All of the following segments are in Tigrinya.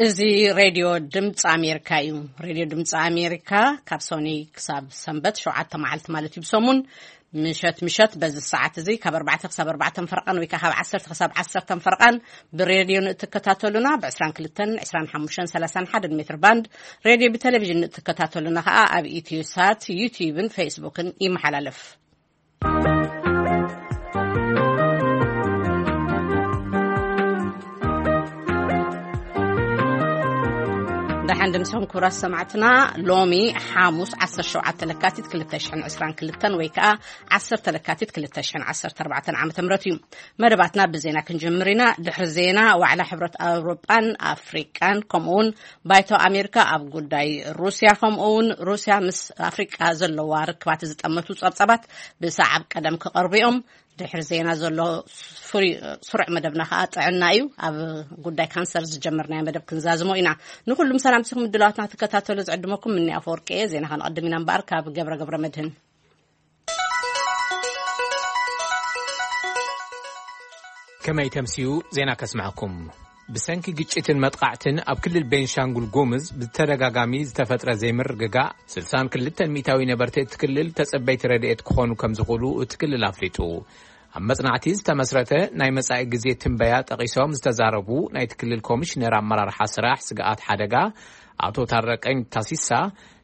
እዚ ሬድዮ ድምፂ ኣሜሪካ እዩ። ሬድዮ ድምፂ ኣሜሪካ ካብ ሶኒ ክሳብ ሰንበት ሸውዓተ መዓልቲ ማለት እዩ ብሰሙን ምሸት ምሸት በዚ ሰዓት እዚ ካብ ኣርባዕተ ክሳብ ኣርባዕተ ፈርቓን ወይ ከዓ ካብ ዓሰርተ ክሳብ ዓሰርተ ፈርቓን ብሬድዮ ንእትከታተሉና ብ22፣ 25፣ 31 ሜትር ባንድ ሬድዮ ብቴሌቪዥን ንእትከታተሉና ከዓ ኣብ ኢትዮ ሳት፣ ዩቲዩብን ፌስቡክን ይመሓላለፍ። ደሓን ድምስኹም ክቡራት ሰማዕትና። ሎሚ ሓሙስ ዓሰርተ ሸውዓተ ለካቲት ክልተ ሽሕን ዕስራን ክልተን ወይ ከዓ ዓሰርተ ለካቲት ክልተ ሽሕን ዓሰርተ ኣርባዕተን ዓመተ ምህረት እዩ። መደባትና ብዜና ክንጅምር ኢና። ድሕሪ ዜና ዋዕላ ሕብረት ኣውሮጳን ኣፍሪቃን ከምኡ እውን ባይቶ ኣሜሪካ ኣብ ጉዳይ ሩስያ ከምኡ እውን ሩስያ ምስ ኣፍሪቃ ዘለዋ ርክባት ዝጠመቱ ጸብጻባት ብሰዓብ ቀደም ክቐርቡ እዮም። ድሕሪ ዜና ዘሎ ፍሪ-፣ ስሩዕ መደብና ከዓ ጥዕና እዩ። ኣብ ጉዳይ ካንሰር ዝጀመርናዮ መደብ ክንዛዝሞ ኢና። ንኩሉም ሰላምቲኹም ምድላዋትና ክትከታተሉ ዝዕድመኩም ምኒ ኣፈወርቂ እየ። ዜና ከነቐድም ኢና እምበኣር ካብ ገብረ ገብረ መድህን። ከመይ ተምስዩ ዜና ከስምዐኩም። ብሰንኪ ግጭትን መጥቃዕትን ኣብ ክልል ቤንሻንጉል ጉምዝ ብተደጋጋሚ ዝተፈጥረ ዘይምርግጋእ፣ ስልሳን ክልተን ሚእታዊ ነበርቲ እቲ ክልል ተጸበይቲ ረድኤት ክኾኑ ከም ዝኽእሉ እቲ ክልል ኣፍሊጡ። ኣብ መጽናዕቲ ዝተመስረተ ናይ መጻኢ ግዜ ትንበያ ጠቒሶም ዝተዛረቡ ናይቲ ክልል ኮሚሽነር ኣመራርሓ ስራሕ ስግኣት ሓደጋ ኣቶ ታረቀኝ ታሲሳ፣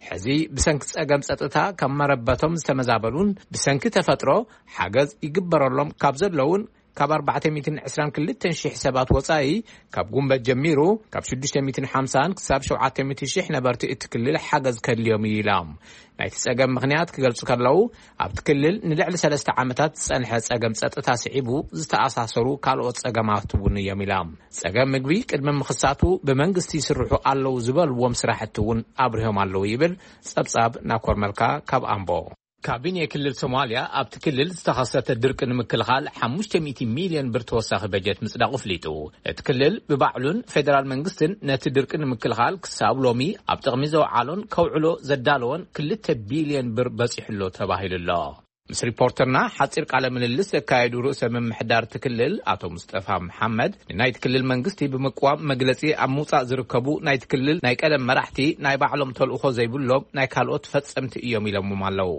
ሕዚ ብሰንኪ ጸገም ጸጥታ ካብ መረበቶም ዝተመዛበሉን ብሰንኪ ተፈጥሮ ሓገዝ ይግበረሎም ካብ ዘለውን ካብ ኣርባዕተ ሚእትን ዕስራን ክልተን ሽሕ ሰባት ወጻኢ፣ ካብ ጉንበት ጀሚሩ ካብ ሽዱሽተ ሚእትን ሓምሳን ክሳብ ሸውዓተ ሚእቲ ሽሕ ነበርቲ እቲ ክልል ሓገዝ ከድልዮም እዩ ኢሎም። ናይቲ ጸገም ምኽንያት ክገልጹ ከለዉ፣ ኣብቲ ክልል ንልዕሊ ሰለስተ ዓመታት ዝጸንሐ ጸገም ጸጥታ ስዒቡ ዝተኣሳሰሩ ካልኦት ጸገማት እውን እዮም ኢሎም። ጸገም ምግቢ ቅድሚ ምኽሳቱ ብመንግስቲ ይስርሑ ኣለዉ ዝበልዎም ስራሕቲ እውን ኣብሪሆም ኣለዉ ይብል ጸብጻብ ናኮር መልካ ካብ ኣምቦ። ካቢኔ ክልል ሶማልያ ኣብቲ ክልል ዝተኸሰተ ድርቂ ንምክልኻል ሓሙሽተ ሚእቲ ሚልዮን ብር ተወሳኺ በጀት ምጽዳቑ ኣፍሊጡ። እቲ ክልል ብባዕሉን ፌደራል መንግስትን ነቲ ድርቂ ንምክልኻል ክሳብ ሎሚ ኣብ ጥቕሚ ዘውዓሎን ከውዕሎ ዘዳለዎን ክልተ ቢልዮን ብር በጺሑሎ ተባሂሉሎ። ምስ ሪፖርተርና ሓጺር ቃለ ምልልስ ዘካየዱ ርእሰ ምምሕዳር እቲ ክልል ኣቶ ሙስጠፋ መሓመድ፣ ንናይቲ ክልል መንግስቲ ብምቅዋም መግለጺ ኣብ ምውጻእ ዝርከቡ ናይቲ ክልል ናይ ቀደም መራሕቲ ናይ ባዕሎም ተልእኾ ዘይብሎም ናይ ካልኦት ፈጸምቲ እዮም ኢሎምዎም ኣለዉ።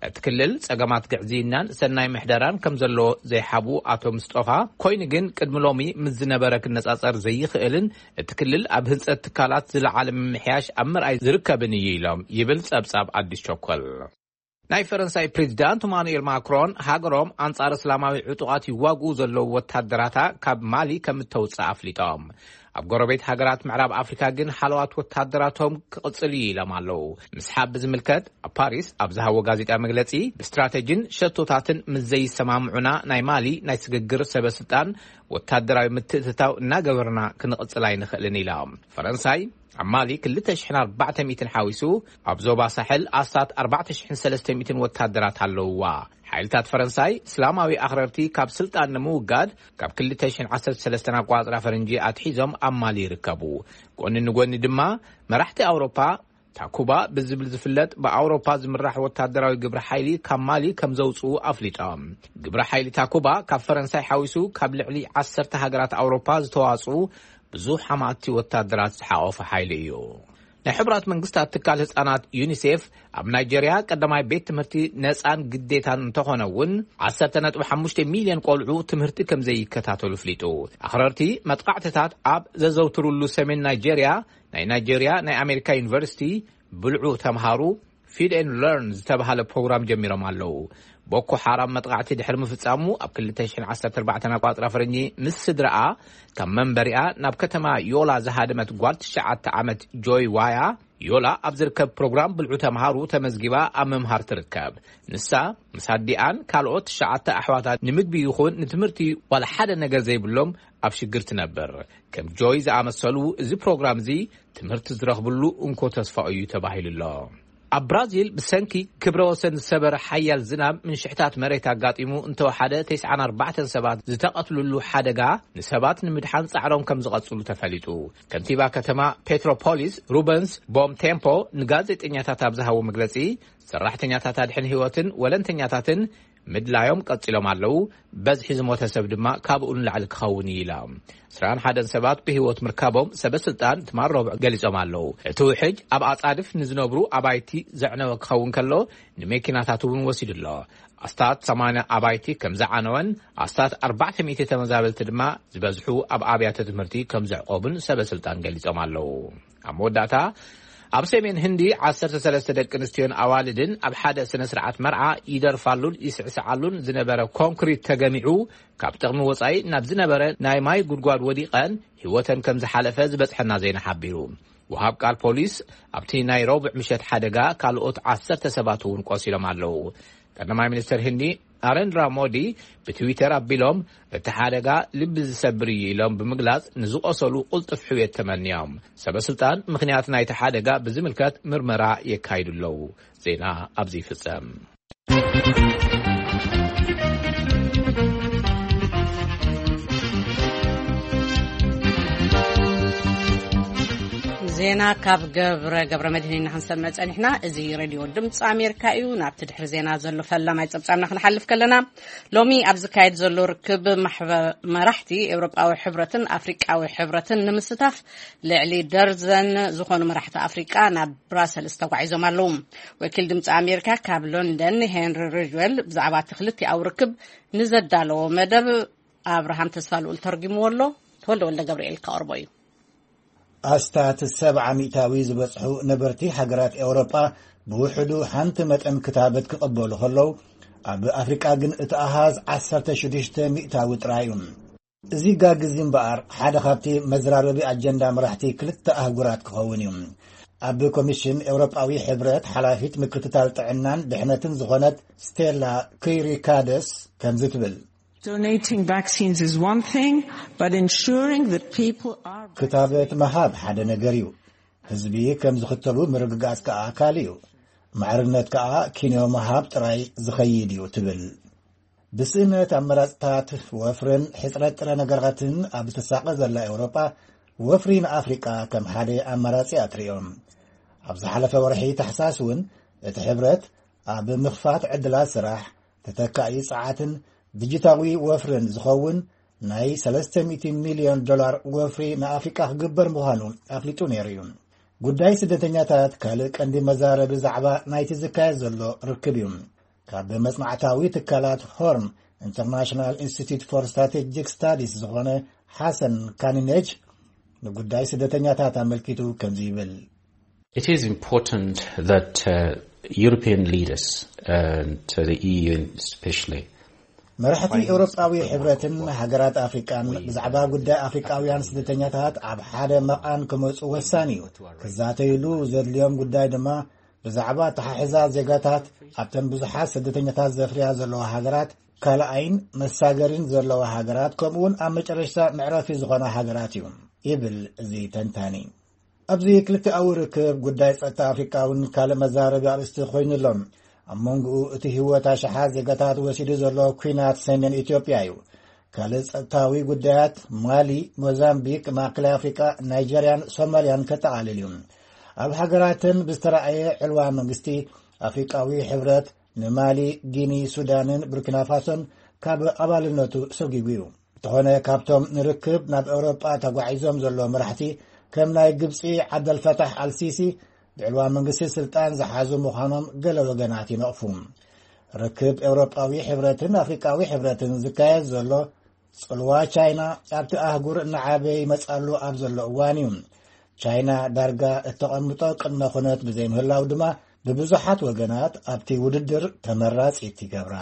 እቲ ክልል ጸገማት ግዕዝይናን ሰናይ ምሕደራን ከም ዘለዎ ዘይሓቡ ኣቶ ሙስጠፋ፣ ኮይኑ ግን ቅድሚ ሎሚ ምስ ዝነበረ ክነጻጸር ዘይኽእልን እቲ ክልል ኣብ ህንጸት ትካላት ዝለዓለ ምምሕያሽ ኣብ ምርኣይ ዝርከብን እዩ ኢሎም ይብል ጸብጻብ ኣዲስ ቸኮል። ናይ ፈረንሳይ ፕሬዚዳንት ኢማኑኤል ማክሮን ሃገሮም ኣንጻር እስላማዊ ዕጡቓት ይዋግኡ ዘለዉ ወታደራታ ካብ ማሊ ከም እተውጽእ ኣፍሊጦም። ኣብ ጎረቤት ሃገራት ምዕራብ ኣፍሪካ ግን ሓለዋት ወታደራቶም ክቕጽል እዩ ኢሎም ኣለዉ። ምስሓብ ብዝምልከት ኣብ ፓሪስ ኣብ ዝሃቦ ጋዜጣ መግለጺ፣ ብስትራተጂን ሸቶታትን ምስ ዘይሰማምዑና ናይ ማሊ ናይ ስግግር ሰበ ስልጣን ወታደራዊ ምትእትታው እናገበርና ክንቕጽል ኣይንኽእልን ኢሎም። ፈረንሳይ ኣብ ማሊ ክልተ ሽሕን ኣርባዕተ ሚእትን ሓዊሱ ኣብ ዞባ ሳሕል ኣስታት ኣርባዕተ ሽሕን ሰለስተ ሚእትን ወታደራት ኣለውዋ። ሓይልታት ፈረንሳይ እስላማዊ ኣኽረርቲ ካብ ስልጣን ንምውጋድ ካብ ክልተ ሽሕን ዓሰርተ ሰለስተን ኣቋጽራ ፈረንጂ ኣትሒዞም ኣብ ማሊ ይርከቡ። ጎኒ ንጎኒ ድማ መራሕቲ ኣውሮፓ ታኩባ ብዝብል ዝፍለጥ ብኣውሮፓ ዝምራሕ ወታደራዊ ግብረ ሓይሊ ካብ ማሊ ከም ዘውፅኡ ኣፍሊጦም። ግብረ ሓይሊ ታኩባ ካብ ፈረንሳይ ሓዊሱ ካብ ልዕሊ ዓሰርተ ሃገራት ኣውሮፓ ዝተዋፅኡ ብዙሕ ኣማእቲ ወታደራት ዝሓቆፈ ሓይሊ እዩ። ናይ ሕቡራት መንግስታት ትካል ህፃናት ዩኒሴፍ ኣብ ናይጀርያ ቀዳማይ ቤት ትምህርቲ ነፃን ግዴታን እንተኾነ እውን ዓሰርተ ነጥቢ ሓሙሽተ ሚልዮን ቆልዑ ትምህርቲ ከም ዘይከታተሉ ኣፍሊጡ። ኣኽረርቲ መጥቃዕትታት ኣብ ዘዘውትሩሉ ሰሜን ናይጀርያ ናይ ናይጀርያ ናይ ኣሜሪካ ዩኒቨርሲቲ ብልዑ ተምሃሩ ፊድ ኤንድ ለርን ዝተባሃለ ፕሮግራም ጀሚሮም ኣለዉ። ቦኮ ሓራም መጥቃዕቲ ድሕሪ ምፍጻሙ ኣብ ክልተ ሽሕን ዓሰርተ ኣርባዕተን ኣቋጽራ ፈረንጂ ምስ ስድራኣ ካብ መንበሪኣ ናብ ከተማ ዮላ ዝሃደመት ጓል ትሽዓተ ዓመት ጆይ ዋያ፣ ዮላ ኣብ ዝርከብ ፕሮግራም ብልዑ ተምሃሩ ተመዝጊባ ኣብ ምምሃር ትርከብ። ንሳ ምስ ኣዲኣን ካልኦት ትሽዓተ ኣሕዋታ ንምግቢ ይኹን ንትምህርቲ ዋላ ሓደ ነገር ዘይብሎም ኣብ ሽግር ትነብር። ከም ጆይ ዝኣመሰሉ እዚ ፕሮግራም እዚ ትምህርቲ ዝረኽብሉ እንኮ ተስፋ እዩ ተባሂሉ ኣሎ። ኣብ ብራዚል ብሰንኪ ክብረ ወሰን ዝሰበረ ሓያል ዝናብ ምንሽሕታት መሬት ኣጋጢሙ እንተወሓደ ተስዓን ኣርባዕተን ሰባት ዝተቐትሉሉ ሓደጋ ንሰባት ንምድሓን ጻዕሮም ከም ዝቐጽሉ ተፈሊጡ። ከንቲባ ከተማ ፔትሮፖሊስ ሩበንስ ቦም ቴምፖ ንጋዜጠኛታት ኣብ ዝሃቦ መግለጺ፣ ሰራሕተኛታት ኣድሕን ህይወትን ወለንተኛታትን ምድላዮም ቀጺሎም ኣለዉ። በዝሒ ዝሞተ ሰብ ድማ ካብኡ ንላዕሊ ክኸውን እዩ ኢላ። ዕስራን ሓደን ሰባት ብህይወት ምርካቦም ሰበ ስልጣን ትማል ረቡዕ ገሊጾም ኣለዉ። እቲ ውሕጅ ኣብ ኣጻድፍ ንዝነብሩ ኣባይቲ ዘዕነወ ክኸውን ከሎ፣ ንመኪናታት እውን ወሲዱ ኣሎ። ኣስታት ሰማንያ ኣባይቲ ከም ዝዓነወን ኣስታት ኣርባዕተ ሚእቲ ተመዛበልቲ ድማ ዝበዝሑ ኣብ ኣብያተ ትምህርቲ ከም ዘዕቆቡን ሰበ ስልጣን ገሊጾም ኣለዉ። ኣብ መወዳእታ፣ ኣብ ሰሜን ህንዲ ዓሰርተ ሰለስተ ደቂ ኣንስትዮን ኣዋልድን ኣብ ሓደ ስነ ስርዓት መርዓ ይደርፋሉን ይስዕስዓሉን ዝነበረ ኮንክሪት ተገሚዑ፣ ካብ ጥቕሚ ወጻኢ ናብ ዝነበረ ናይ ማይ ጉድጓድ ወዲቐን ህይወተን ከም ዝሓለፈ ዝበጽሐና ዜና ሓቢሩ። ወሃብ ቃል ፖሊስ ኣብቲ ናይ ረቡዕ ምሸት ሓደጋ ካልኦት ዓሰርተ ሰባት እውን ቆሲሎም ኣለዉ። ቀዳማይ ሚኒስትር ህንዲ ናሬንድራ ሞዲ ብትዊተር ኣቢሎም፣ "እቲ ሓደጋ ልቢ ዝሰብር እዩ" ኢሎም ብምግላጽ፣ ንዝቆሰሉ ቅልጡፍ ሕውየት ተመንዮም። ሰበ ስልጣን ምኽንያት ናይቲ ሓደጋ ብዝምልከት ምርመራ የካይዱ ኣለዉ። ዜና ኣብዚ ይፍጸም። ዜና ካብ ገብረ፣ ገብረ መድህን ኢና ክንሰምዕ ጸኒሕና። እዚ ሬድዮ ድምፂ ኣሜሪካ እዩ። ናብቲ ድሕሪ ዜና ዘሎ ፈላማይ ጸብጻብና ክንሓልፍ ከለና፣ ሎሚ ኣብ ዝካየድ ዘሎ ርክብ ማሕበ-፣ መራሕቲ ኤውሮጳዊ ሕብረትን ኣፍሪቃዊ ሕብረትን ንምስታፍ ልዕሊ ደርዘን ዝኾኑ መራሕቲ ኣፍሪቃ ናብ ብራሰልስ ተጓዒዞም ኣለዉ። ወኪል ድምፂ ኣሜሪካ ካብ ሎንደን ሄንሪ ሪጅዌል ብዛዕባ እቲ ክልቲኣዊ ርክብ ንዘዳለዎ መደብ ኣብርሃም ተስፋ ልኡል ተርጉምዎ ኣሎ። ተወልደ ወልደ ገብርኤል ከቕርቦ እዩ። ኣስታት ሰብዓ ሚእታዊ ዝበጽሑ ነበርቲ ሃገራት ኤውሮጳ ብውሕዱ ሓንቲ መጠን ክታበት ክቕበሉ ከለዉ፣ ኣብ ኣፍሪቃ ግን እቲ ኣሃዝ ዓሰርተ ሽዱሽተ ሚእታዊ ጥራይ እዩ። እዚ ጋግ እዚ እምበኣር ሓደ ካብቲ መዘራረቢ ኣጀንዳ መራሕቲ ክልተ ኣህጉራት ክኸውን እዩ። ኣብ ኮሚሽን ኤውሮጳዊ ሕብረት ሓላፊት ምክትታል ጥዕናን ድሕነትን ዝኾነት ስቴላ ክይሪካደስ ከምዚ ትብል። Donating vaccines is one thing, but ensuring that people are ክታበት ምሃብ ሓደ ነገር እዩ። ህዝቢ ከም ዝኽተቡ ምርግጋጽ ከኣ ካልእ እዩ። ማዕርነት ከኣ ኪንዮ ምሃብ ጥራይ ዝኸይድ እዩ ትብል። ብስእነት ኣመራጽታት ወፍርን ሕጽረት ጥረ ነገራትን ኣብ ትሳቐ ዘላ ኤውሮጳ፣ ወፍሪ ንኣፍሪቃ ከም ሓደ ኣማራጺ እያ ትርእዮ። ኣብ ዝሓለፈ ወርሒ ታሕሳስ እውን እቲ ሕብረት ኣብ ምኽፋት ዕድላት ስራሕ፣ ተተካኢ ጸዓትን ዲጂታዊ ወፍርን ዝኸውን ናይ ሰለስተ ሚእቲ ሚልዮን ዶላር ወፍሪ ንኣፍሪቃ ክግበር ምዃኑ ኣፍሊጡ ነይሩ እዩ። ጉዳይ ስደተኛታት ካልእ ቀንዲ መዛረቢ ዛዕባ ናይቲ ዝካየድ ዘሎ ርክብ እዩ። ካብ መጽናዕታዊ ትካላት ሆርን ኢንተርናሽናል ኢንስቲትዩት ፎር ስትራቴጂክ ስታዲስ ዝኾነ ሓሰን ካኒኔጅ ንጉዳይ ስደተኛታት ኣመልኪቱ ከምዚ ይብል። It is important that, uh, European leaders and, uh, the E U especially መራሕቲ ኤውሮጳዊ ሕብረትን ሃገራት ኣፍሪቃን ብዛዕባ ጉዳይ ኣፍሪቃውያን ስደተኛታት ኣብ ሓደ መቓን ክመጹ ወሳኒ እዩ። ክዛተይሉ ዘድልዮም ጉዳይ ድማ ብዛዕባ ኣተሓሕዛ ዜጋታት ኣብተን ብዙሓት ስደተኛታት ዘፍርያ ዘለዋ ሃገራት፣ ካልኣይን መሳገሪን ዘለዋ ሃገራት፣ ከምኡውን ኣብ መጨረሽታ መዕረፊ ዝኾና ሃገራት እዩ፣ ይብል እዚ ተንታኒ። ኣብዚ ክልቲኣዊ ርክብ ጉዳይ ጸጥታ ኣፍሪቃ እውን ካልእ መዛረቢ ኣርእስቲ ኮይኑ ኣሎ። ኣብ መንጎኡ እቲ ህይወት ኣሽሓት ዜጋታት ወሲዱ ዘሎ ኲናት ሰሜን ኢትዮጵያ እዩ። ካልእ ጸጥታዊ ጉዳያት ማሊ፣ ሞዛምቢክ፣ ማእከላይ ኣፍሪቃ፣ ናይጀርያን ሶማልያን ከጠቓልል እዩ። ኣብ ሃገራተን ብዝተራእየ ዕልዋ መንግስቲ ኣፍሪቃዊ ሕብረት ንማሊ፣ ጊኒ፣ ሱዳንን ቡርኪና ፋሶን ካብ ኣባልነቱ ሰጒጉ እዩ። እንተኾነ ካብቶም ንርክብ ናብ ኤውሮጳ ተጓዒዞም ዘለዉ መራሕቲ ከም ናይ ግብጺ ዓብደልፈታሕ ኣልሲሲ ብዕልዋ መንግስቲ ስልጣን ዝሓዙ ምዃኖም ገለ ወገናት ይነቕፉ። ርክብ ኤውሮጳዊ ሕብረትን ኣፍሪቃዊ ሕብረትን ዝካየድ ዘሎ ጽልዋ ቻይና ኣብቲ ኣህጉር እናዓበየ ይመጽኣሉ ኣብ ዘሎ እዋን እዩ። ቻይና ዳርጋ እተቐምጦ ቅድመ ኩነት ብዘይምህላው ድማ ብብዙሓት ወገናት ኣብቲ ውድድር ተመራጺት ይገብራ።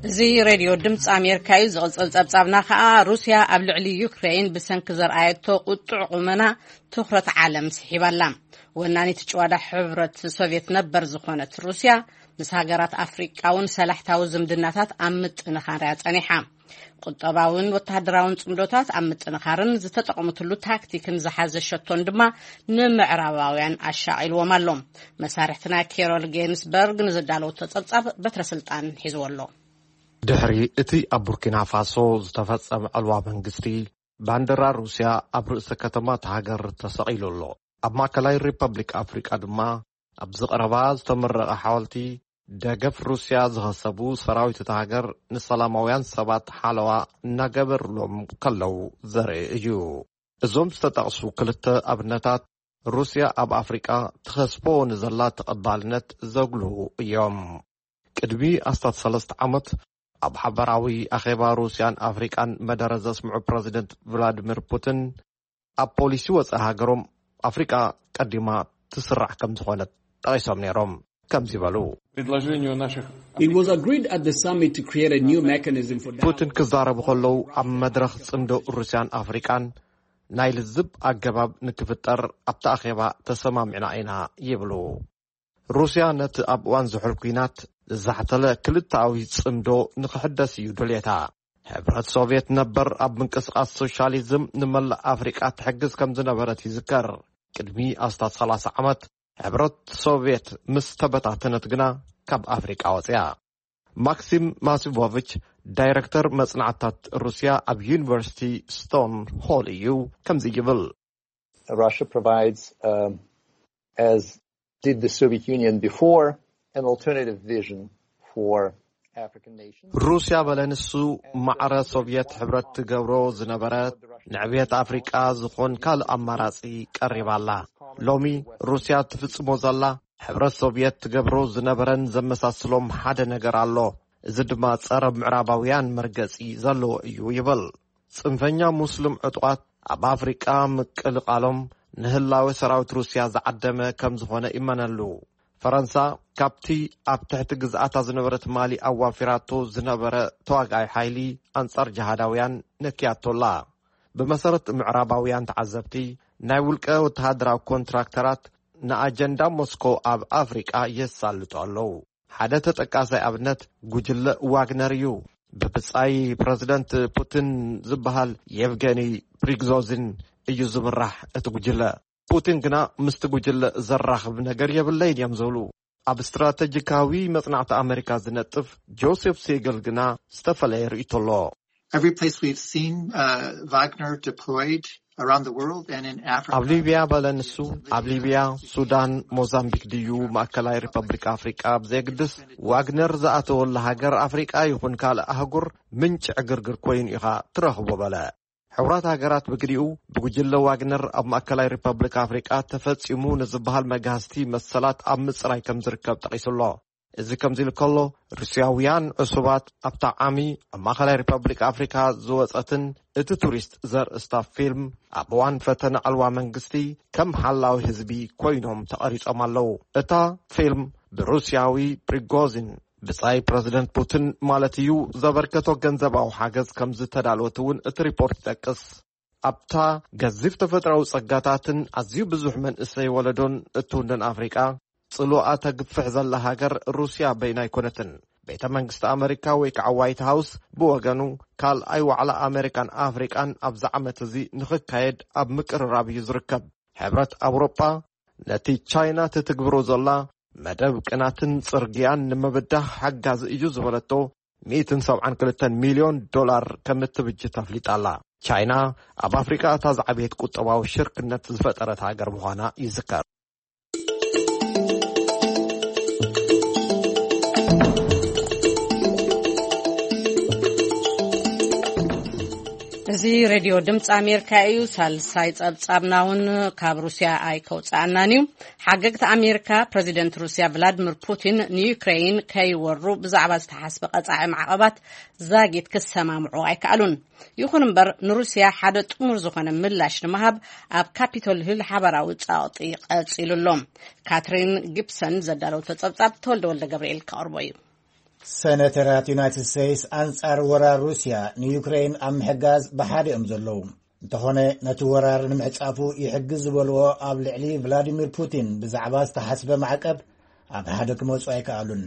እዚ ሬድዮ ድምፂ ኣሜሪካ እዩ። ዝቕፅል ፀብፃብና ከዓ ሩስያ ኣብ ልዕሊ ዩክሬን ብሰንኪ ዘርኣየቶ ቁጡዕ ቁመና ትኹረት ዓለም ስሒባላ። ወናኒት ጭዋዳ ሕብረት ሶቪየት ነበር ዝኾነት ሩስያ ምስ ሃገራት ኣፍሪቃ እውን ሰላሕታዊ ዝምድናታት ኣብ ምጥንኻር እያ ጸኒሓ። ቁጠባውን ወተሃደራውን ጽምዶታት ኣብ ምጥንኻርን ዝተጠቕምትሉ ታክቲክን ዝሓዘ ሸቶን ድማ ንምዕራባውያን ኣሻቒልዎም ኣሎ። መሳርሕትና ኬሮል ጌንስበርግ ንዘዳለወቶ ጸብጻብ በትረ ስልጣን ሒዝዎ ኣሎ። ድሕሪ እቲ ኣብ ቡርኪና ፋሶ ዝተፈጸመ ዕልዋ መንግስቲ፣ ባንዲራ ሩስያ ኣብ ርእሰ ከተማ እታ ሃገር ተሰቒሉ ኣሎ። ኣብ ማእከላይ ሪፐብሊክ ኣፍሪቃ ድማ ኣብዚ ቀረባ ዝተመረቐ ሓወልቲ ደገፍ ሩስያ ዝኸሰቡ ሰራዊት እታ ሃገር ንሰላማውያን ሰባት ሓለዋ እናገበርሎም ከለዉ ዘርኢ እዩ። እዞም ዝተጠቕሱ ክልተ ኣብነታት ሩስያ ኣብ ኣፍሪቃ ትኸስቦ ንዘላ ተቐባልነት ዘጉልሁ እዮም። ቅድሚ ኣስታት ሰለስተ ዓመት ኣብ ሓበራዊ ኣኼባ ሩስያን ኣፍሪቃን መደረ ዘስምዑ ፕረዚደንት ቭላድሚር ፑቲን ኣብ ፖሊሲ ወጻኢ ሃገሮም ኣፍሪቃ ቀዲማ ትስራዕ ከም ዝኾነት ጠቒሶም ነይሮም። ከምዚ በሉ። предложению наших It was agreed at the summit to create a new mechanism for ፑቲን ክዛረቡ ከለዉ ኣብ መድረኽ ጽምዶ ሩስያን ኣፍሪቃን ናይ ልዝብ ኣገባብ ንክፍጠር ኣብቲ ኣኼባ ተሰማሚዕና ኢና ይብሉ። ሩስያ ነቲ ኣብ እዋን ዝሑል ኲናት ዝዛሕተለ ክልተኣዊ ጽምዶ ንኽሕደስ እዩ ድልየታ። ሕብረት ሶቭየት ነበር ኣብ ምንቅስቓስ ሶሻሊዝም ንመላእ ኣፍሪቃ ትሕግዝ ከም ዝነበረት ይዝከር። ቅድሚ ኣስታት ሰላሳ ዓመት ሕብረት ሶቭየት ምስ ተበታተነት ግና ካብ ኣፍሪቃ ወፅያ። ማክሲም ማሲቮቪች ዳይረክተር መጽናዕታት ሩስያ ኣብ ዩኒቨርሲቲ ስቶን ሆል እዩ። ከምዚ ይብል። Russia provides, um, as did the Soviet Union before, an alternative vision for African nations. ሩስያ በለ ንሱ ማዕረ ሶቭየት ሕብረት ትገብሮ ዝነበረት ንዕብየት ኣፍሪቃ ዝኾን ካልእ ኣማራጺ ቀሪባላ። ሎሚ ሩስያ ትፍጽሞ ዘላ ሕብረት ሶቭየት ትገብሮ ዝነበረን ዘመሳስሎም ሓደ ነገር ኣሎ። እዚ ድማ ጸረ ምዕራባውያን መርገጺ ዘለዎ እዩ ይብል። ጽንፈኛ ሙስሊም ዕጡቓት ኣብ ኣፍሪቃ ምቅልቃሎም ንህላወ ሰራዊት ሩስያ ዝዓደመ ከም ዝኾነ ይመነሉ። ፈረንሳ ካብቲ ኣብ ትሕቲ ግዝኣታ ዝነበረት ማሊ ኣዋፊራቶ ዝነበረ ተዋጋኣይ ሓይሊ ኣንጻር ጅሃዳውያን ነክያቶላ። ብመሰረት ምዕራባውያን ተዓዘብቲ፣ ናይ ውልቀ ወተሃደራዊ ኮንትራክተራት ንኣጀንዳ ሞስኮ ኣብ ኣፍሪቃ የሳልጡ ኣለዉ። ሓደ ተጠቃሳይ ኣብነት ጉጅለ ዋግነር እዩ። ብብጻይ ፕረዚደንት ፑቲን ዝበሃል የቭገኒ ፕሪግዞዚን እዩ ዝምራሕ እቲ ጉጅለ። ፑቲን ግና ምስቲ ጉጅለ ዘራኽብ ነገር የብለይን እዮም ዝብሉ። ኣብ ስትራተጂካዊ መጽናዕቲ ኣመሪካ ዝነጥፍ ጆሴፍ ሴገል ግና ዝተፈለየ ርእይቶ ኣሎ። Every place we've seen uh, Wagner deployed around the world and in Africa. ኣብ ሊብያ በለ ንሱ፣ ኣብ ሊብያ፣ ሱዳን፣ ሞዛምቢክ ድዩ ማእከላይ ሪፐብሊክ ኣፍሪቃ ብዘየግድስ ዋግነር ዝኣተወላ ሃገር ኣፍሪቃ ይኹን ካልእ ኣህጉር ምንጪ ዕግርግር ኮይኑ ኢኻ ትረኽቦ በለ። ሕቡራት ሃገራት ብግዲኡ ብጉጅለ ዋግነር ኣብ ማእከላይ ሪፐብሊክ ኣፍሪቃ ተፈጺሙ ንዝበሃል መግሃስቲ መሰላት ኣብ ምጽራይ ከም ዝርከብ ጠቒሱ ኣሎ። እዚ ከምዚ ኢሉ ከሎ፣ ሩስያውያን ዕሱባት ኣብታ ዓሚ ኣብ ማእከላይ ሪፐብሊክ ኣፍሪካ ዝወጸትን እቲ ቱሪስት ዘርእስታ ፊልም ኣብ እዋን ፈተነ ዕልዋ መንግስቲ ከም ሓላዊ ህዝቢ ኮይኖም ተቐሪጾም ኣለዉ። እታ ፊልም ብሩስያዊ ፕሪጎዚን ብጻይ ፕረዚደንት ፑቲን ማለት እዩ ዘበርከቶ ገንዘባዊ ሓገዝ ከም ዝተዳለወት እውን እቲ ሪፖርት ይጠቅስ። ኣብታ ገዚፍ ተፈጥራዊ ጸጋታትን ኣዝዩ ብዙሕ መንእሰይ ወለዶን እትውንን ኣፍሪቃ ጽልዋ ተግፍሕ ዘላ ሃገር ሩስያ በይና ኣይኮነትን። ቤተ መንግስቲ ኣመሪካ ወይ ከዓ ዋይት ሃውስ ብወገኑ ካልኣይ ዋዕላ ኣመሪካን ኣፍሪቃን ኣብዚ ዓመት እዚ ንኽካየድ ኣብ ምቅርራብ እዩ ዝርከብ። ሕብረት ኣውሮጳ ነቲ ቻይና ትትግብሮ ዘላ መደብ ቅናትን ጽርግያን ንምብዳህ ሓጋዚ እዩ ዝበለቶ ሚእትን ሰብዓን ክልተን ሚልዮን ዶላር ከም እትብጅት ኣፍሊጣ ኣላ። ቻይና ኣብ ኣፍሪቃ እታ ዝዓበየት ቁጠባዊ ሽርክነት ዝፈጠረት ሃገር ምዃና ይዝከር። እዚ ሬድዮ ድምፂ ኣሜሪካ እዩ። ሳልሳይ ጸብጻብና እውን ካብ ሩስያ ኣይከውፅኣናን እዩ። ሓገግቲ ኣሜሪካ ፕረዚደንት ሩስያ ቭላድሚር ፑቲን ንዩክሬይን ከይወሩ ብዛዕባ ዝተሓስበ ቀጻዒ ማዕቐባት ዛጊት ክሰማምዑ ኣይከኣሉን። ይኹን እምበር ንሩስያ ሓደ ጥሙር ዝኾነ ምላሽ ንምሃብ ኣብ ካፒቶል ሂል ሓባራዊ ጸቕጢ ቀጺሉ ኣሎ። ካትሪን ጊብሰን ዘዳለወቶ ጸብጻብ ተወልደ ወልደ ገብርኤል ከቕርቦ እዩ። ሰነተራት ዩናይትድ ስቴትስ ኣንጻር ወራር ሩስያ ንዩክሬን ኣብ ምሕጋዝ ብሓደ እዮም ዘለዉ። እንተኾነ ነቲ ወራር ንምዕጻፉ ይሕግዝ ዝበልዎ ኣብ ልዕሊ ቭላዲሚር ፑቲን ብዛዕባ ዝተሓስበ ማዕቀብ ኣብ ሓደ ክመጹ ኣይከኣሉን።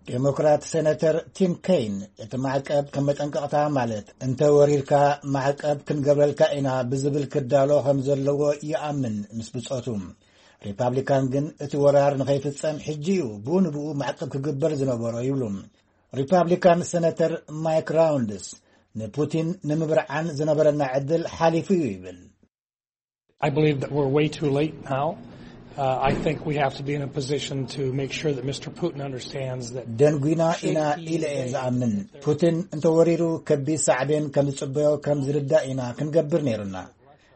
ዴሞክራት ሴነተር ቲም ኬይን እቲ ማዕቀብ ከም መጠንቀቕታ ማለት እንተ ወሪርካ ማዕቀብ ክንገብረልካ ኢና ብዝብል ክዳሎ ከም ዘለዎ ይኣምን ምስ ብጾቱ። ሪፓብሊካን ግን እቲ ወራር ንኸይፍጸም ሕጂ እዩ ብኡ ንብኡ ማዕቀብ ክግበር ዝነበሮ ይብሉ። ሪፓብሊካን ሴነተር ማይክ ራውንድስ ንፑቲን ንምብርዓን ዝነበረና ዕድል ሓሊፉ እዩ ይብል። I believe that we're way too late now. Uh, I think we have to be in a position to make sure that Mister Putin understands that ደንጒና ኢና ኢለ እየ ዝኣምን። ፑቲን እንተወሪሩ ከቢድ ሳዕቤን ከም ዝጽበዮ ከም ዝርዳእ ኢና ክንገብር ነይሩና።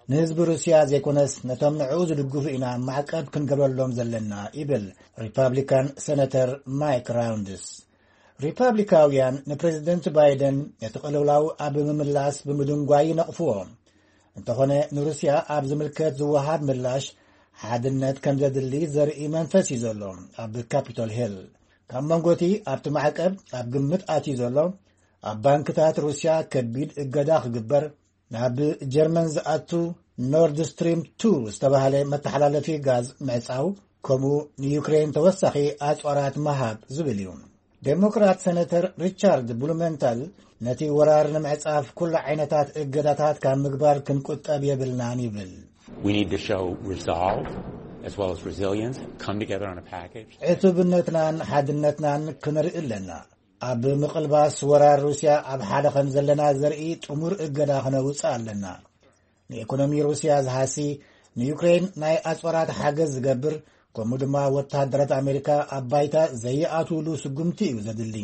ንህዝቢ ሩስያ ዘይኮነስ ነቶም ንዕኡ ዝድግፉ ኢና ማዕቀብ ክንገብረሎም ዘለና ይብል ሪፓብሊካን ሴነተር ማይክ ራውንድስ። ሪፓብሊካውያን ንፕሬዚደንት ባይደን ነቲ ቅልውላው ኣብ ምምላስ ብምድንጓይ ይነቕፍዎ። እንተኾነ ንሩስያ ኣብ ዝምልከት ዝወሃብ ምላሽ ሓድነት ከም ዘድሊ ዘርኢ መንፈስ እዩ ዘሎ። ኣብ ካፒቶል ሂል ካብ መንጎቲ ኣብቲ ማዕቀብ ኣብ ግምት ኣትዩ ዘሎ ኣብ ባንክታት ሩስያ ከቢድ እገዳ ክግበር፣ ናብ ጀርመን ዝኣቱ ኖርድ ስትሪም ቱ ዝተባህለ መተሓላለፊ ጋዝ ምዕጻው፣ ከምኡ ንዩክሬን ተወሳኺ ኣጽዋራት ምሃብ ዝብል እዩ። ዴሞክራት ሴነተር ሪቻርድ ብሉመንታል ነቲ ወራር ንምዕጻፍ ኩሉ ዓይነታት እገዳታት ካብ ምግባር ክንቁጠብ የብልናን ይብል። We need to show resolve as well as resilience, come together on a package. ዕቱብነትናን ሓድነትናን ክንርኢ ኣለና። ኣብ ምቕልባስ ወራር ሩስያ ኣብ ሓደ ከም ዘለና ዘርኢ ጥሙር እገዳ ክነውጽእ ኣለና። ንኢኮኖሚ ሩስያ ዝሃሲ፣ ንዩክሬን ናይ ኣጽዋራት ሓገዝ ዝገብር፣ ከምኡ ድማ ወተሃደራት ኣሜሪካ ኣብ ባይታ ዘይኣትውሉ ስጉምቲ እዩ ዘድሊ።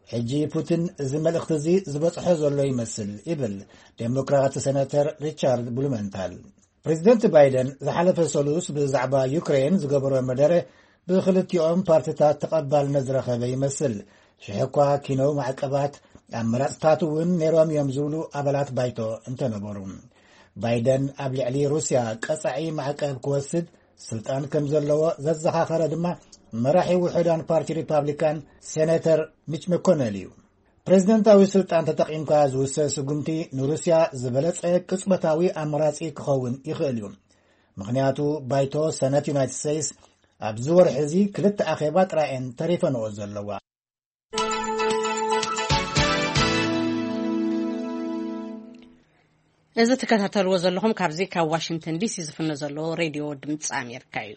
ሕጂ ፑቲን እዚ መልእኽቲ እዚ ዝበጽሖ ዘሎ ይመስል ይብል ዴሞክራት ሴናተር ሪቻርድ ብሉመንታል። ፕሬዚደንት ባይደን ዝሓለፈ ሰሉስ ብዛዕባ ዩክሬን ዝገበሮ መደረ ብክልቲኦም ፓርቲታት ተቐባልነት ዝረኸበ ይመስል። ሽሕ እኳ ኪነው ማዕቀባት ኣመራፅታት እውን ነይሮም እዮም ዝብሉ ኣባላት ባይቶ እንተነበሩ፣ ባይደን ኣብ ልዕሊ ሩስያ ቀፃዒ ማዕቀብ ክወስድ ስልጣን ከም ዘለዎ ዘዘኻኸረ ድማ መራሒ ውሑዳን ፓርቲ ሪፓብሊካን ሴኔተር ሚች መኮነል እዩ። ፕሬዚደንታዊ ስልጣን ተጠቒምካ ዝውሰድ ስጉምቲ ንሩስያ ዝበለጸ ቅጽበታዊ ኣማራጺ ክኸውን ይኽእል እዩ። ምኽንያቱ ባይቶ ሰነት ዩናይትድ ስቴትስ ኣብዚ ወርሒ እዚ ክልተ ኣኼባ ጥራየን ተሪፈንኦ ዘለዋ። እዚ ትከታተልዎ ዘለኹም ካብዚ ካብ ዋሽንግተን ዲሲ ዝፍኖ ዘለዎ ሬድዮ ድምፂ ኣሜሪካ እዩ።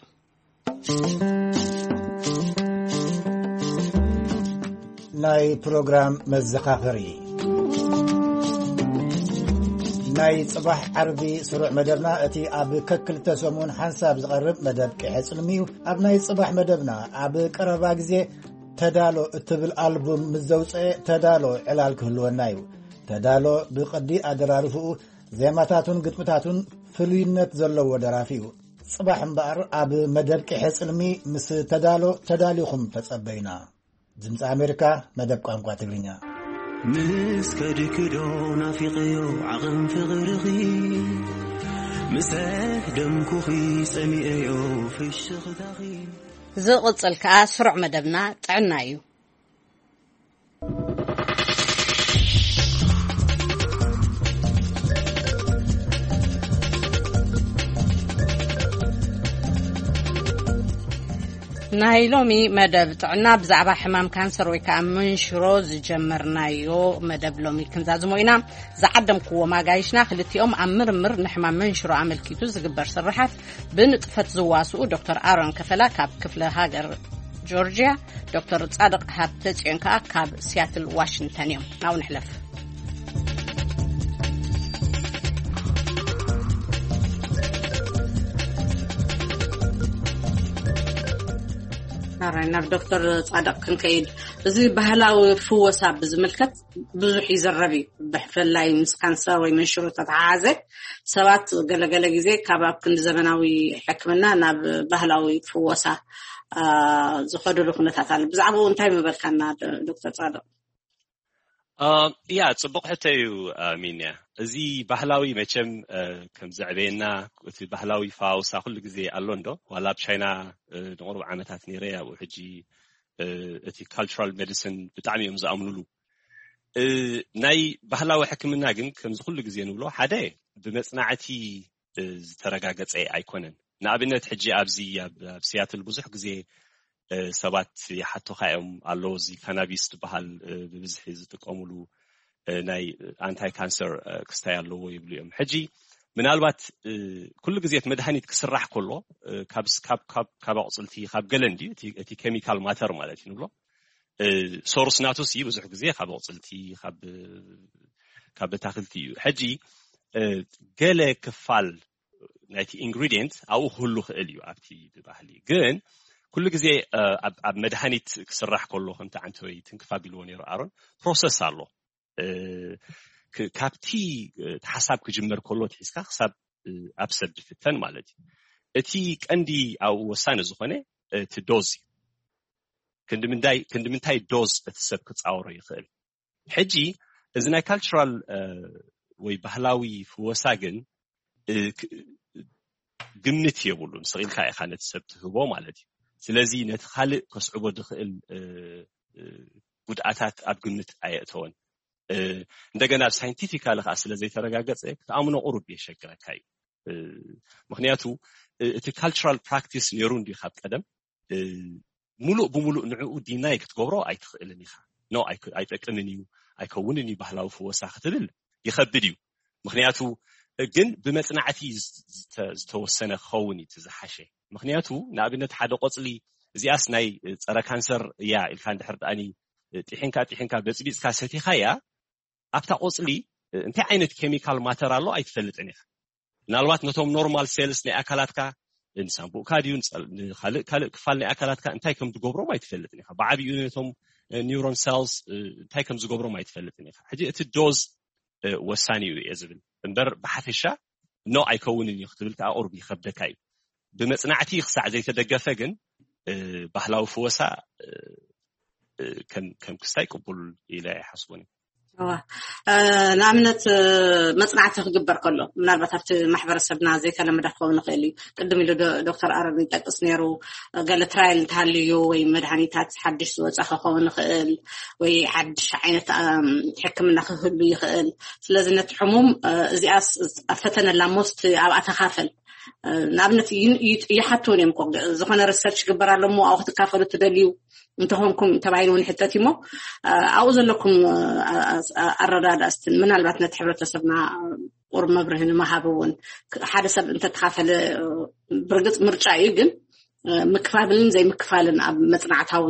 ናይ ፕሮግራም መዘኻኸሪ። ናይ ጽባሕ ዓርቢ ስሩዕ መደብና እቲ ኣብ ከክልተ ሰሙን ሓንሳብ ዝቐርብ መደብ ቅሐ ጽልሚ እዩ። ኣብ ናይ ጽባሕ መደብና ኣብ ቀረባ ግዜ ተዳሎ እትብል ኣልቡም ምስ ዘውፅአ ተዳሎ ዕላል ክህልወና እዩ። ተዳሎ ብቕዲ ኣደራርፍኡ፣ ዜማታቱን ግጥምታቱን ፍሉይነት ዘለዎ ደራፊ እዩ። ጽባሕ እምበኣር ኣብ መደብ ቅሐ ጽልሚ ምስ ተዳሎ ተዳሊኹም ተጸበዩና። ድምፂ ኣሜሪካ፣ መደብ ቋንቋ ትግርኛ። ምስ ከድክዶ ናፊቐዮ ዓቕን ፍቕርኺ፣ ምስ ደምኩኺ ጸሚኤዮ ፍሽኽታኺ። ዝቕጽል ከኣ ስሩዕ መደብና ጥዕና እዩ። ናይ ሎሚ መደብ ጥዕና ብዛዕባ ሕማም ካንሰር ወይ ከዓ መንሽሮ ዝጀመርናዮ መደብ ሎሚ ክንዛዝሞ ኢና። ዝዓደምክዎም ኣጋይሽና ክልቲኦም ኣብ ምርምር ንሕማም መንሽሮ ኣመልኪቱ ዝግበር ስርሓት ብንጥፈት ዝዋስኡ ዶክተር ኣሮን ከፈላ ካብ ክፍለ ሃገር ጆርጅያ፣ ዶክተር ጻድቕ ሃብተ ጽዮን ከኣ ካብ ሲያትል ዋሽንግተን እዮም። ናብኡ ንሕለፍ። ኣራይ ናብ ዶክተር ጻድቕ ክንከይድ፣ እዚ ባህላዊ ፍወሳ ብዝምልከት ብዙሕ ይዝረብ እዩ። ብፍላይ ምስ ካንሰር ወይ መንሽሮ ተተሓሓዘ ሰባት ገለገለ ግዜ ካብ ኣብ ክንዲ ዘመናዊ ሕክምና ናብ ባህላዊ ፍወሳ ዝኸዱሉ ኩነታት ኣሎ። ብዛዕባኡ እንታይ ምበልካና ዶክተር ጻድቕ? ያ፣ ጽቡቕ ሕቶ እዩ። ሚንያ፣ እዚ ባህላዊ መቸም ከም ዘዕበየና፣ እቲ ባህላዊ ፈዋውሳ ኩሉ ግዜ ኣሎ እንዶ፣ ዋላ ኣብ ቻይና ንቕሩብ ዓመታት ነይረ፣ ኣብኡ ሕጂ እቲ ካልቸራል ሜዲሲን ብጣዕሚ እዮም ዝኣምኑሉ። ናይ ባህላዊ ሕክምና ግን ከምዚ ኩሉ ግዜ ንብሎ፣ ሓደ ብመጽናዕቲ ዝተረጋገጸ ኣይኮነን። ንኣብነት ሕጂ ኣብዚ ኣብ ሲያትል ብዙሕ ግዜ ሰባት ይሓቶኻ እዮም፣ ኣሎ እዚ ካናቢስ ዝበሃል ብብዝሒ ዝጥቀሙሉ ናይ ኣንታይ ካንሰር ክስታይ ኣለዎ ይብሉ እዮም። ሕጂ ምናልባት ኩሉ ግዜ እቲ መድሃኒት ክስራሕ ከሎ ካብ ኣቑፅልቲ፣ ካብ ገለ እንድዩ እቲ ኬሚካል ማተር ማለት እዩ ንብሎ፣ ሶርስ ናቱ ሲ ብዙሕ ግዜ ካብ ኣቑፅልቲ፣ ካብ ካብ ኣታክልቲ እዩ። ሕጂ ገለ ክፋል ናይቲ ኢንግሪዲየንት ኣብኡ ክህሉ ክእል እዩ ኣብቲ ብባህሊ። ግን ኩሉ ግዜ ኣብ መድሃኒት ክስራሕ ከሎ፣ ከምቲ ዓንተወይ ትንክፍ ኣቢልዎ ነይሩ ኣሮን፣ ፕሮሰስ ኣሎ። ካብቲ ሓሳብ ክጅመር ከሎ ትሒዝካ ክሳብ ኣብ ሰብ ዝፍተን ማለት እዩ። እቲ ቀንዲ ኣብኡ ወሳኒ ዝኾነ እቲ ዶዝ እዩ። ክንዲ ምንታይ ዶዝ እቲ ሰብ ክፃወሮ ይኽእል? ሕጂ እዚ ናይ ካልቸራል ወይ ባህላዊ ፍወሳ ግን ግምት የብሉን። ስቕ ኢልካ ኢኻ ነቲ ሰብ ትህቦ ማለት እዩ። ስለዚ ነቲ ካልእ ከስዕቦ ዝኽእል ጉድኣታት ኣብ ግምት ኣየእተወን። እንደገና ሳይንቲፊካሊ ከዓ ስለ ዘይተረጋገፀ ክትኣምኖ ቁሩብ የሸግረካ እዩ። ምክንያቱ እቲ ካልቸራል ፕራክቲስ ነይሩ እንዲ ካብ ቀደም፣ ሙሉእ ብሙሉእ ንዕኡ ዲናይ ክትገብሮ ኣይትኽእልን ኢኻ። ኖ ኣይጠቅምን እዩ፣ ኣይከውንን እዩ ባህላዊ ፍወሳ ክትብል ይኸብድ እዩ። ምክንያቱ ግን ብመፅናዕቲ ዝተወሰነ ክኸውን እዩ ዝሓሸ። ምክንያቱ ንኣብነት ሓደ ቆፅሊ፣ እዚኣስ ናይ ፀረ ካንሰር እያ ኢልካ እንድሕር ደኣኒ ጢሒንካ ጢሒንካ በፅቢፅካ ሰቲኻ እያ፣ ኣብታ ቆፅሊ እንታይ ዓይነት ኬሚካል ማተር ኣሎ ኣይትፈልጥን ኢኻ። ምናልባት ነቶም ኖርማል ሴልስ ናይ ኣካላትካ፣ ንሳንቡእካ ድዩ ንፀል- ንካልእ ካልእ ክፋል ናይ ኣካላትካ እንታይ ከም ዝገብሮም ኣይትፈልጥን ኢኻ። ብዓብዩ ነቶም ኒውሮን ሰልስ እንታይ ከም ዝገብሮም ኣይትፈልጥን ኢኻ። ሕጂ እቲ ዶዝ ወሳኒ እዩ እየ ዝብል እምበር ብሓፈሻ ኖ ኣይከውንን እዩ ክትብል ከዓ ቁርብ ይኸብደካ እዩ። ብመፅናዕቲ ክሳዕ ዘይተደገፈ ግን ባህላዊ ፍወሳ ከም ክስታይ ቅቡል ኢለ ኣይሓስቦን እዩ። ንኣብነት መፅናዕቲ ክግበር ከሎ ምናልባት ኣብቲ ማሕበረሰብና ዘይተለመደ ክኸውን ይኽእል እዩ። ቅድም ኢሉ ዶክተር ኣረን ይጠቅስ ነይሩ፣ ገለ ትራይል እንተሃልዩ ወይ መድሃኒታት ሓድሽ ዝወፀ ክኸውን ይኽእል ወይ ሓድሽ ዓይነት ሕክምና ክህሉ ይኽእል። ስለዚ ነቲ ሕሙም እዚኣስ ኣብ ፈተነ ኣላ ሞስት ኣብኣ ተካፈል ንኣብነት ይሓትውን እዮም እኮ። ዝኾነ ሪሰርች ግበር ኣሎ እሞ ኣብኡ ክትካፈሉ ትደልዩ እንተኾንኩም ተባሂሉ እውን ሕተት እሞ ኣብኡ ዘለኩም ኣረዳዳእስትን ምናልባት ነቲ ሕብረተሰብና ቁርብ መብርህ ንምሃብ እውን ሓደ ሰብ እንተተኻፈለ ብርግፅ ምርጫ እዩ፣ ግን ምክፋልን ዘይምክፋልን ኣብ መፅናዕታዊ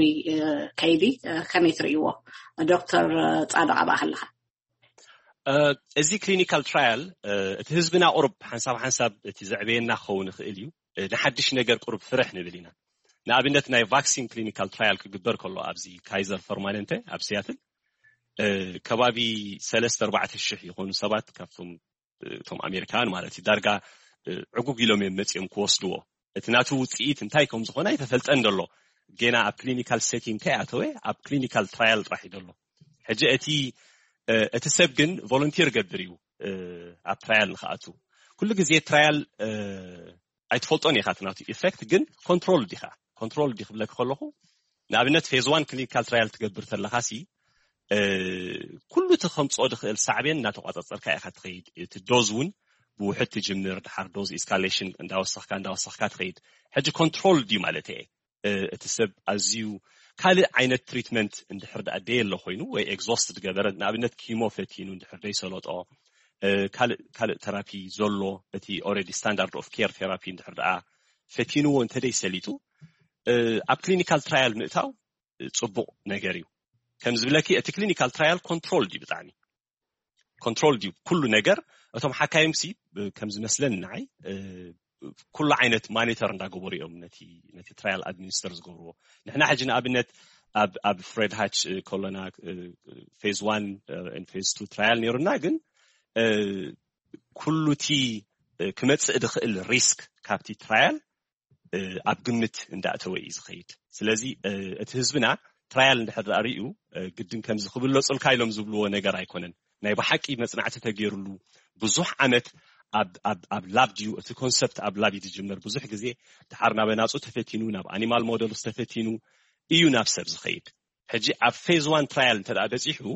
ከይዲ ከመይ ትርእይዎ? ዶክተር ፃድቕ ኣብኣ ከለካ። እዚ ክሊኒካል ትራያል እቲ ህዝብና ቁሩብ ሓንሳብ ሓንሳብ እቲ ዘዕበየና ክኸውን ይኽእል እዩ። ንሓድሽ ነገር ቁሩብ ፍርሕ ንብል ኢና። ንኣብነት ናይ ቫክሲን ክሊኒካል ትራያል ክግበር ከሎ ኣብዚ ካይዘር ፐርማነንተ ኣብ ሲያትል ከባቢ ሰለስተ ኣርባዕተ ሽሕ ይኾኑ ሰባት ካብቶም እቶም ኣሜሪካውያን ማለት እዩ ዳርጋ ዕጉግ ኢሎም እዮም መፂኦም ክወስድዎ። እቲ ናቱ ውፅኢት እንታይ ከም ዝኾነ ኣይተፈልጠን ደሎ። ጌና ኣብ ክሊኒካል ሴቲንግ ከይኣተወ ኣብ ክሊኒካል ትራያል ጥራሕ እዩ ደሎ። ሕጂ እቲ እቲ ሰብ ግን ቮለንቲር ገብር እዩ ኣብ ትራያል ንክኣቱ። ኩሉ ግዜ ትራያል ኣይትፈልጦን ኢኻ እቲ ናቱ ኢፌክት፣ ግን ኮንትሮል ዲኻ ኮንትሮል ዲ ክብለክ ከለኹ ንኣብነት ፌዝ ዋን ክሊኒካል ትራያል ትገብር ተለኻሲ ኩሉ እቲ ከምፅኦ ዝኽእል ሳዕቤን እናተቋፃፀርካ ኢኻ ትኸይድ። እቲ ዶዝ እውን ብውሕድ ትጅምር፣ ድሓር ዶዝ ኢስካሌሽን እንዳወሰኽካ እንዳወሰኽካ ትኸይድ። ሕጂ ኮንትሮል ድዩ ማለት እየ እቲ ሰብ ኣዝዩ ካልእ ዓይነት ትሪትመንት እንድሕር ደኣ ደየሎ ኮይኑ ወይ ኤግዞስት ዝገበረ ንኣብነት ኪሞ ፈቲኑ እንድሕር ደይሰለጦ ካልእ ካልእ ተራፒ ዘሎ እቲ ኦረዲ ስታንዳርድ ኦፍ ኬር ቴራፒ እንድሕር ደኣ ፈቲንዎ እንተደይ ሰሊጡ ኣብ ክሊኒካል ትራያል ምእታው ፅቡቕ ነገር እዩ። ከም ዝብለኪ እቲ ክሊኒካል ትራያል ኮንትሮል ድዩ ብጣዕሚ ኮንትሮል ድዩ ኩሉ ነገር? እቶም ሓካይምሲ ከም ዝመስለኒ ንዓይ ኩሉ ዓይነት ማኒተር እንዳገበሩ እዮም ነቲ ነቲ ትራያል ኣድሚኒስተር ዝገብርዎ። ንሕና ሕጂ ንኣብነት ኣብ ኣብ ፍሬድ ሃች ከሎና ፌዝ ዋን ፌዝ ቱ ትራያል ነይሩና፣ ግን ኩሉቲ ክመፅእ ዝኽእል ሪስክ ካብቲ ትራያል ኣብ ግምት እንዳእተወ እዩ ዝኸይድ። ስለዚ እቲ ህዝብና ትራያል እንድሕር ዳኣ ሪኡ ግድን ከምዚ ክብለፁልካ ኢሎም ዝብልዎ ነገር ኣይኮነን። ናይ ብሓቂ መፅናዕቲ ተገይሩሉ ብዙሕ ዓመት ኣብ ላብ ድዩ እቲ ኮንሰፕት ኣብ ላብ እዩ ዝጅመር። ብዙሕ ግዜ ድሓር ናብ ኣናፁ ተፈቲኑ ናብ ኣኒማል ሞደልስ ተፈቲኑ እዩ ናብ ሰብ ዝኸይድ። ሕጂ ኣብ ፌዝ ዋን ትራያል እንተ በፂሑ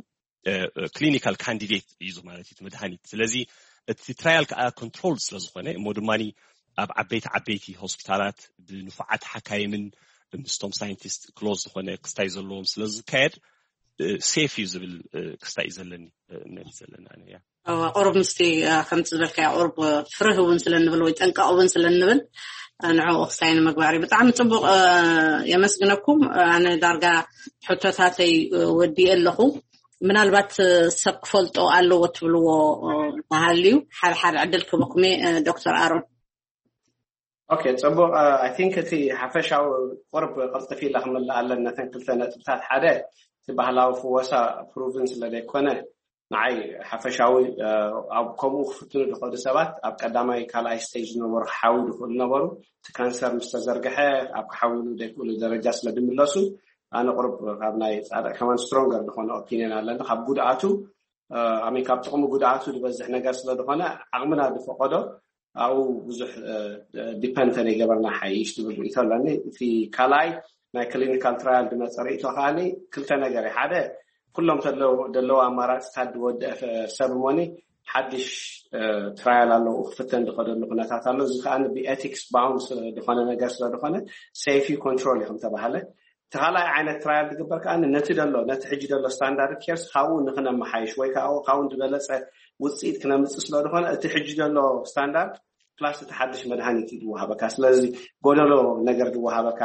ክሊኒካል ካንዲዴት እዩ ማለት እዩ መድሃኒት። ስለዚ እቲ ትራያል ከዓ ኮንትሮል ስለዝኾነ እሞ ድማ ኣብ ዓበይቲ ዓበይቲ ሆስፒታላት ብንፉዓት ሓካይምን ምስቶም ሳይንቲስት ክሎዝ ዝኾነ ክስታይ ዘለዎም ስለዝካየድ ሴፍ እዩ ዝብል ክስታይ እዩ ዘለኒ እምነት እዩ ዘለኒ። ኣነ እያ ቁሩብ ምስቲ ከምቲ ዝበልካዮ ቁሩብ ፍርህ እውን ስለንብል ወይ ጠንቀቕ እውን ስለንብል ንዕኡ ክስታይ ንምግባር እዩ። ብጣዕሚ ፅቡቕ የመስግነኩም። ኣነ ዳርጋ ሕቶታተይ ወዲኤ ኣለኹ። ምናልባት ሰብ ክፈልጦ ኣለዎ ትብልዎ ተሃልዩ ሓድሓድ ዕድል ክበኩም ዶክተር ኣሮን። ኦኬ፣ ፅቡቅ። I think እቲ ሓፈሻዊ ቁርብ ቅልጥፍ ኢለ ክምልእ ኣለኒ ነተን ክልተ ነጥብታት። ሓደ፣ እቲ ባህላዊ ፍወሳ ፕሩቭን ስለ ዘይኮነ ንዓይ ሓፈሻዊ ኣብ ከምኡ ክፍትኑ ዝኽእሉ ሰባት ኣብ ቀዳማይ ካልኣይ ስቴጅ ዝነበሩ ክሓውዩ ዝኽእሉ ነበሩ። እቲ ካንሰር ምስ ተዘርግሐ ኣብ ክሓውሉ ዘይክእሉ ደረጃ ስለ ዝምለሱ ኣነ ቁርብ ካብ ናይ ፃድቕ ከማን ስትሮንገር ዝኾነ ኦፒኒየን ኣለኒ ካብ ጉድኣቱ ኣሜን ካብ ጥቕሚ ጉድኣቱ ዝበዝሕ ነገር ስለ ዝኾነ ዓቕምና ዝፈቐዶ ኣብኡ ብዙሕ ዲፐንድ ተዘይገበርና ሓይሽ ትብል ርእቶ ኣለኒ። እቲ ካልኣይ ናይ ክሊኒካል ትራያል ዝመፀ ርእቶ ከዓኒ ክልተ ነገር እዩ። ሓደ ኩሎም ዘለዉ ኣማራፅታት ዝወደአ ሰብ ሞኒ ሓድሽ ትራያል ኣለዉ ክፍተን ዝኸደሉ ኩነታት ኣሎ። እዚ ከዓ ብኤቲክስ ባውንድ ዝኾነ ነገር ስለዝኾነ ሴፊ ኮንትሮል እዩ ከምተባሃለ እቲ ካልኣይ ዓይነት ትራያል ዝግበር ከዓ ነቲ ደሎ ነቲ ሕጂ ደሎ ስታንዳርድ ኬርስ ካብኡ ንክነመሓይሽ ወይ ከዓ ካብኡ ዝበለፀ ውፅኢት ክነምፅእ ስለዝኾነ እቲ ሕጂ ዘሎ ስታንዳርድ ፕላስ እቲ ሓድሽ መድሃኒት እዩ ዝወሃበካ። ስለዚ ጎደሎ ነገር ዝወሃበካ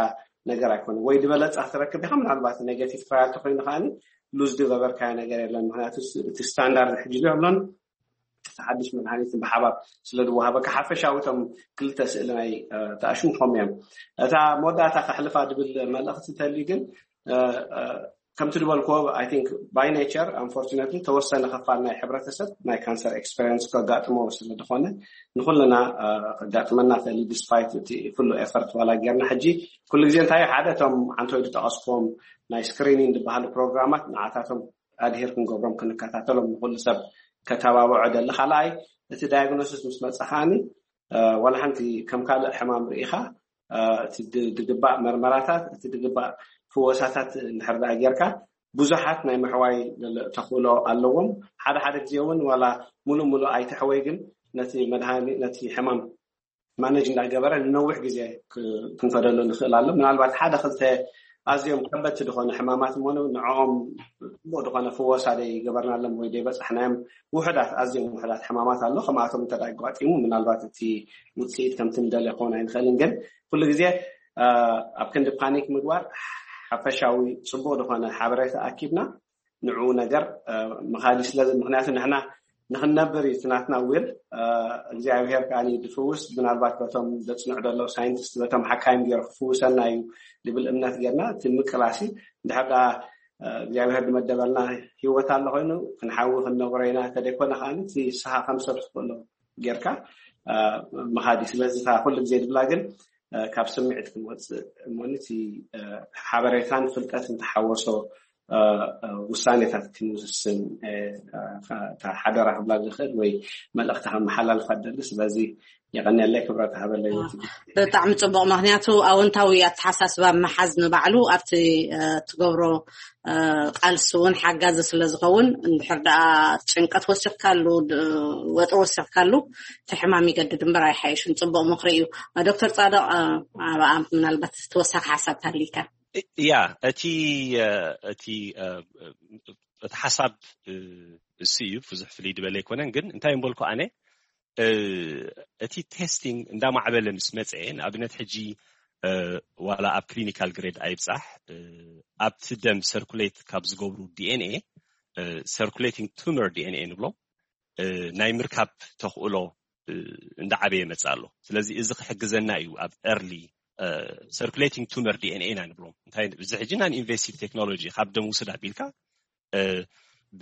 ነገር ኣይኮነ ወይ ዝበለፀ ክትረክብ ኢኻ። ምናልባት ኔጋቲቭ ትራያል ተኮይኑ ከዓ ሉዝ ዝገበርካዮ ነገር የለን። ምክንያቱ እቲ ስታንዳርድ ሕጂ ዘሎን እቲ ሓድሽ መድሃኒትን ብሓባር ስለ ዝወሃበካ ሓፈሻዊ እቶም ክልተ ስእሊ ናይ ተኣሽሙ ከም እዮም። እታ መወዳእታ ከሕልፋ ዝብል መልእኽቲ ተልዩ ግን ከምቲ ዝበልክዎ I think by nature unfortunately ተወሰነ ክፋል ናይ ሕብረተሰብ ናይ ካንሰር ኤክስፐሪንስ ከጋጥሞ ስለ ዝኾነ ንኩልና ከጋጥመና ክእል ዲስፓይት እቲ ኩሉ ኤፈርት ዋላ ጌርና ሕጂ ኩሉ ግዜ እንታይ ሓደ እቶም ዓንተወይ ዝጠቐስክዎም ናይ ስክሪኒንግ ዝበሃሉ ፕሮግራማት ንዓታቶም ኣድሄር ክንገብሮም ክንከታተሎም ንኩሉ ሰብ ከተባብዖ ደሊ። ካልኣይ እቲ ዳያግኖሲስ ምስ መፀ ከዓኒ ዋላ ሓንቲ ከም ካልእ ሕማም ርኢኻ እቲ ዝግባእ መርመራታት እቲ ዝግባእ ፍወሳታት እንድሕር ደኣ ጌርካ ብዙሓት ናይ ምሕዋይ ተኽእሎ ኣለዎም። ሓደ ሓደ ግዜ እውን ዋላ ሙሉእ ሙሉእ ኣይትሕወይ ግን ነቲ መድሃኒ ነቲ ሕማም ማነጅ እንዳገበረ ንነዊሕ ግዜ ክንፈደሉ ንኽእል ኣሎ። ምናልባት ሓደ ክልተ ኣዝዮም ከበድቲ ዝኾነ ሕማማት እሞ ንዕኦም ፅቡቅ ዝኾነ ፍወሳ ደይ ገበርናሎም ወይ ደይ በፃሕናዮም ውሕዳት ኣዝዮም ውሕዳት ሕማማት ኣሎ። ከምኣቶም እንተ ኣጋጢሙ ምናልባት እቲ ውፅኢት ከምቲ ንደልዮ ክኸውን ኣይንኽእልን። ግን ኩሉ ግዜ ኣብ ክንዲ ፓኒክ ምግባር ሓፈሻዊ ፅቡቅ ዝኾነ ሓበሬታ ኣኪብና ንዕኡ ነገር ምኻድ እዩ። ስለዚ ምክንያቱ ንሕና ንክንነብር እዩ እቲ ናትና ዊል እግዚኣብሄር ከዓ ዝፍውስ ምናልባት በቶም ዘፅንዑ ዘለዉ ሳይንቲስት በቶም ሓካይም ገይሩ ክፍውሰና እዩ ዝብል እምነት ጌርና እቲ ምቅላሲ እንድሕር ደኣ እግዚኣብሄር ዝመደበልና ሂወት ኣሎ ኮይኑ ክንሓዊ ክንነብሮ ኢና ተደይኮነ ከዓ እቲ ስኻ ከም ሰብ ዝኽእሎ ጌርካ ምኻድ እዩ። ስለዚ ኩሉ ግዜ ዝብላ ግን ካብ ስምዒት ክንወፅእ እሞኒ እቲ ሓበሬታን ፍልጠትን ተሓወሶ ውሳኔታት ክንውስን ሓደራ ክብላ ዝኽእል ወይ መልእኽቲ ከመሓላልፋ ደሊ። ስለዚ የቐንየለይ ክብረት ሃበለይ። ብጣዕሚ ፅቡቅ። ምክንያቱ ኣወንታዊ ኣተሓሳስባ ምሓዝ ንባዕሉ ኣብቲ ትገብሮ ቃልሲ እውን ሓጋዚ ስለ ዝኸውን እንድሕር ደኣ ጭንቀት ወሲኽካሉ ወጥሪ ወሲኽካሉ እቲ ሕማም ይገድድ እምበር ኣይሓይሽን። ፅቡቅ ምክሪ እዩ። ዶክተር ፃድቕ ኣብኣ ምናልባት ተወሳኺ ሓሳብ ታሊካ? ያ እቲ እቲ እቲ ሓሳብ እሱ እዩ ብዙሕ ፍልይ ዝበለ ኣይኮነን። ግን እንታይ እምበልኩ ኣነ እቲ ቴስቲንግ እንዳማዕበለ ምስ መፀ ንኣብነት ሕጂ ዋላ ኣብ ክሊኒካል ግሬድ ኣይብፃሕ ኣብቲ ደም ሰርኩሌት ካብ ዝገብሩ ዲኤንኤ ሰርኩሌቲንግ ቱመር ዲኤንኤ ንብሎ ናይ ምርካብ ተኽእሎ እንዳዓበየ መፅእ ኣሎ። ስለዚ እዚ ክሕግዘና እዩ ኣብ ኤርሊ ሰርኩሌቲንግ ቱመር ዲኤንኤ ኢና ንብሎም። እንታይ እዚ ሕጂ ናን ኢንቨሲቭ ቴክኖሎጂ ካብ ደም ውስድ ኣቢልካ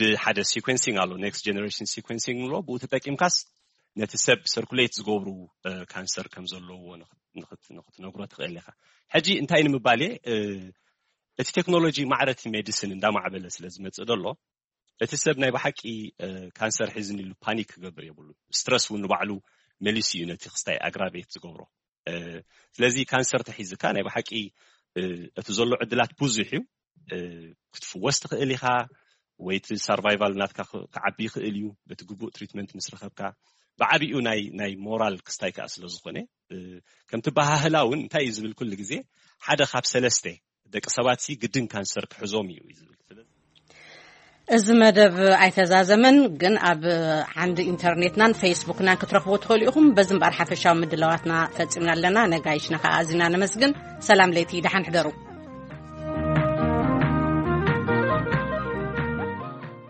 ብሓደ ሲኮንሲንግ ኣሎ ኔክስት ጀነሬሽን ሲኮንሲንግ ንብሎ ብኡ ተጠቂምካስ ነቲ ሰብ ሰርኩሌት ዝገብሩ ካንሰር ከም ዘለዎ ንክትነግሮ ትኽእል ኢኻ። ሕጂ እንታይ ንምባል እቲ ቴክኖሎጂ ማዕረቲ ሜዲሲን እንዳማዕበለ ስለ ዝመፅእ ዘሎ እቲ ሰብ ናይ ብሓቂ ካንሰር ሒዝኒ ኢሉ ፓኒክ ክገብር የብሉ። ስትረስ እውን ንባዕሉ መሊሱ እዩ ነቲ ክስታይ ኣግራቤት ዝገብሮ። ስለዚ ካንሰር ተሒዝካ ናይ ብሓቂ እቲ ዘሎ ዕድላት ብዙሕ እዩ። ክትፍወስ ትኽእል ኢኻ ወይ እቲ ሳርቫይቫል ናትካ ክዓቢ ይኽእል እዩ በቲ ግቡእ ትሪትመንት ምስ ረኸብካ። ብዓቢኡ ናይ ናይ ሞራል ክስታይ ከዓ ስለ ዝኾነ ከምቲ ባህህላ እውን እንታይ እዩ ዝብል ኩሉ ግዜ ሓደ ካብ ሰለስተ ደቂ ሰባት ሲ ግድን ካንሰር ክሕዞም እዩ እዩ ዝብል። ስለዚ እዚ መደብ ኣይተዛዘመን፣ ግን ኣብ ዓንዲ ኢንተርኔትናን ፌስቡክናን ክትረኽቦ ትኽእሉ ኢኹም። በዚ እምበኣር ሓፈሻዊ ምድላዋትና ፈጺምና ኣለና። ነጋይሽና ከዓ ኣዚና ነመስግን። ሰላም ለይቲ፣ ደሓን ሕደሩ።